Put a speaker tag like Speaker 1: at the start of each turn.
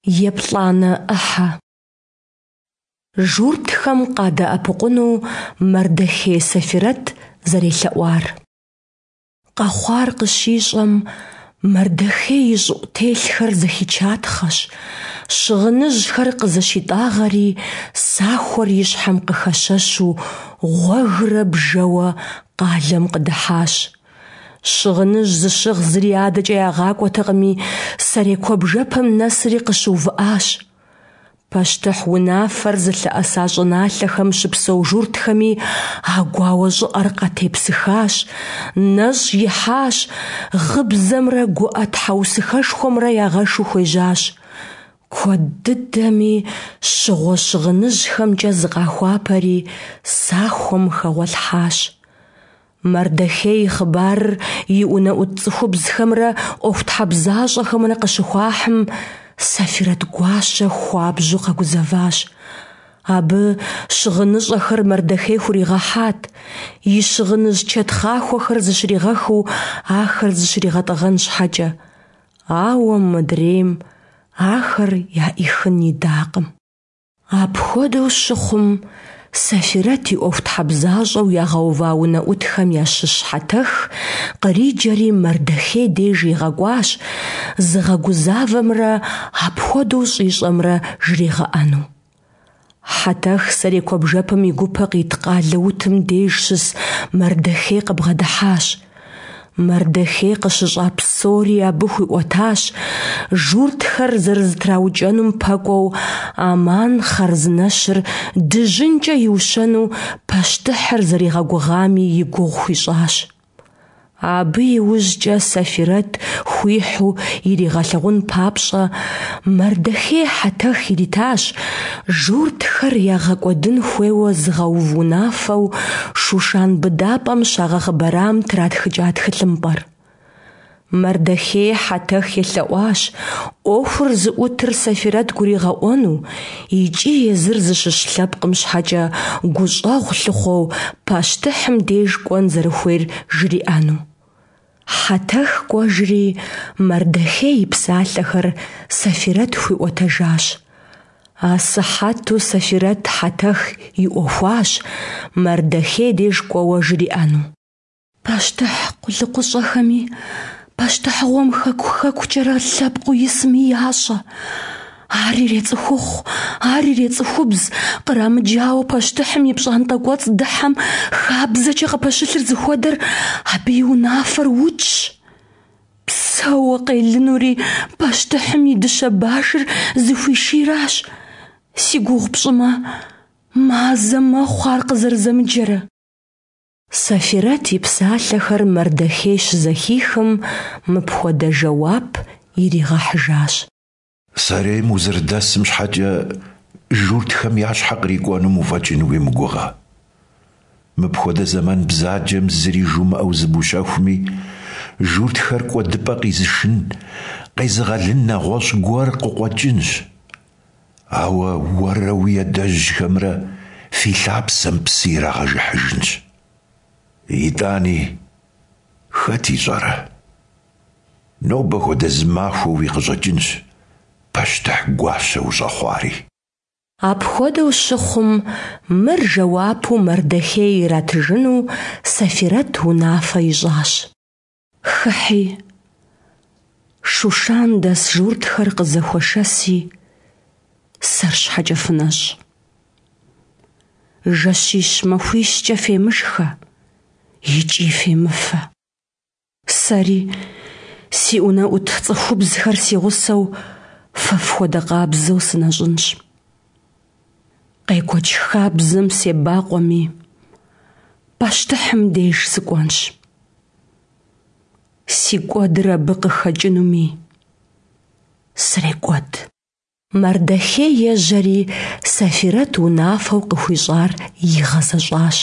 Speaker 1: Еплӏанэ ӏыхьэ. Журтхэм къадэӏэпыкъуну Мардэхей Сэфирэт зэрелъэӏуар. Къэхъуар къыщищӏэм, Мардэхей и щӏыӏу телъхэр зэхичатхъэщ, щыгъыныжьхэр къызыщитӏагъэри, сахуэр и щхьэм къыхэщэщу, гъуэгрэ бжэуэ къалэм къыдыхьащ. Щыгъыныжь зыщыгъ зыри адэкӏэ ягъакӏуэтэкъыми, сэрей куэбжэпэм нэсри къыщыувыӏащ. Пащтыхь унафэр зылъэӏэса щӏыналъэхэм щыпсэу журтхэми а гуауэ щӏыӏэр къатепсыхащ, нэщӏ ихьащ, гъыбзэмрэ гуӏэ тхьэусыхэшхуэмрэ ягъэшу хуежьащ. Куэд дыдэми щыгъуэ щыгъыныжьхэмкӏэ зыкъахуапэри, сахуэм хэгъуэлъхьащ. Мардэхей и хъыбарыр и унэӏут цӏыхубзхэмрэ ӏуэхутхьэбзащӏэхэмрэ къыщыхуахьым, Сэфирэт гуащэ хуабжьу къэгузэващ. Абы щыгъыныщӏэхэр Мардэхей хуригъэхьат, и щыгъыныжь чэтхъахуэхэр зыщригъэхыу ахэр зыщригъэтӏэгъэн щхьэкӏэ. Ауэ мыдрейм ахэр яӏихын идакъым. Апхуэдэу щыхъум, Сэфирэт и ӏуэхутхьэбзащӏэу ягъэува унэӏутхэм ящыщ Хьэтэх къриджэри Мардэхей деж игъэкӏуащ, зыгъэгузавэмрэ апхуэдэу щӏищӏэмрэ жригъэӏэну. Хьэтэх сэрей куэбжэпэм и гупэ къит къалэ утым деж щыс Мардэхей къыбгъэдыхьащ. Мардэхей къыщыщӏа псори абы хуиӏуэтащ, журтхэр зэрызэтраукӏэнум пэкӏуэу Аман хъарзынэщыр дыжьынкӏэ иущэну пащтыхьыр зэригъэгугъами и гугъу хуищӏащ. Абы иужькӏэ Сэфирэт хуихьу иригъэлъэгъун папщӏэ, Мардэхей Хьэтэх иритащ журтхэр ягъэкӏуэдын хуейуэ зыгъэув унафэу Шушан быдапӏэм щагъэхъыбарам тратхыкӏа тхылъымпӏэр. Мардэхей Хьэтэх елъэӏуащ ӏуэхур зыӏутыр Сэфирэт гуригъэӏуэну икӏи езыр зыщыщ лъэпкъым щхьэкӏэ гущӏэгъу лъыхъуэу пащтыхьым деж кӏуэн зэрыхуейр жриӏэну. Хьэтэх кӏуэжри, Мардэхей и псалъэхэр Сэфирэт хуиӏуэтэжащ. Асыхьэту Сэфирэт Хьэтэх иӏуэхуащ Мардэхей деж кӏуэуэ жриӏэну. Пащтыхь къулыкъущӏэхэми, пащтыхьыгъуэм хэку-хэкукӏэрэ лъэпкъыу исми ящӏэ. Ар ирецӏыхухъу, ар ирецӏыхубз, кърамыджауэ пащтыхьым и пщӏантӏэ кӏуэцӏ дыхьэм хабзэкӏэ къыпэщылъыр зыхуэдэр абы и унафэр укӏщ. Псэууэ къелынури пащтыхьым и дыщэ башыр зыхуишийращ. Си гугъу пщӏымэ, мазэ мэхъу ар къызэрызэмыджэрэ. Сэфирэт и псалъэхэр Мардэхей щызэхихым, мыпхуэдэ жэуап иригъэхьыжащ.
Speaker 2: Сэрейм узэрыдэсым щхьэкӏэ журтхэм я щхьэ кърикӏуэнум уфӏэкӏын уимыгугъэ. Мыпхуэдэ зэман бзаджэм зыри жумыӏэу зыбущэхуми, журтхэр кӏуэдыпӏэ къизышын, къезыгъэлын нэгъуэщӏ гуэр къыкъуэкӏынщ. Ауэ уэрэ уи адэжьхэмрэ фи лъапсэм псы ирагъэжыхьыжынщ. Итӏани, хэт ищӏэрэ? Нобэ хуэдэ зы махуэуи къыщӏэкӏынщ пащтыхь гуащэ ущӏэхъуари.
Speaker 1: Апхуэдэу щыхъум, мыр жэуапу Мардэхей иратыжыну Сэфирэт унафэ ищӏащ. Хыхьи, Шушан дэс журтхэр къызэхуэшэси, сэр щхьэкӏэ фынэщӏ. Жэщищ-махуищкӏэ фемышхэ икӏи фемыфэ. Сэри, си унэӏут цӏыхубзхэр си гъусэу, фэ фхуэдэ къабзэу сынэщӏынщ. Къекӏуэкӏ хабзэм себакъуэми, пащтыхьым деж сыкӏуэнщ. Си кӏуэдыр абы къыхэкӏынуми, срекӏуэд. Мардэхей ежьэри, Сэфирэт унафэу къыхуищӏар игъэзэщӏащ.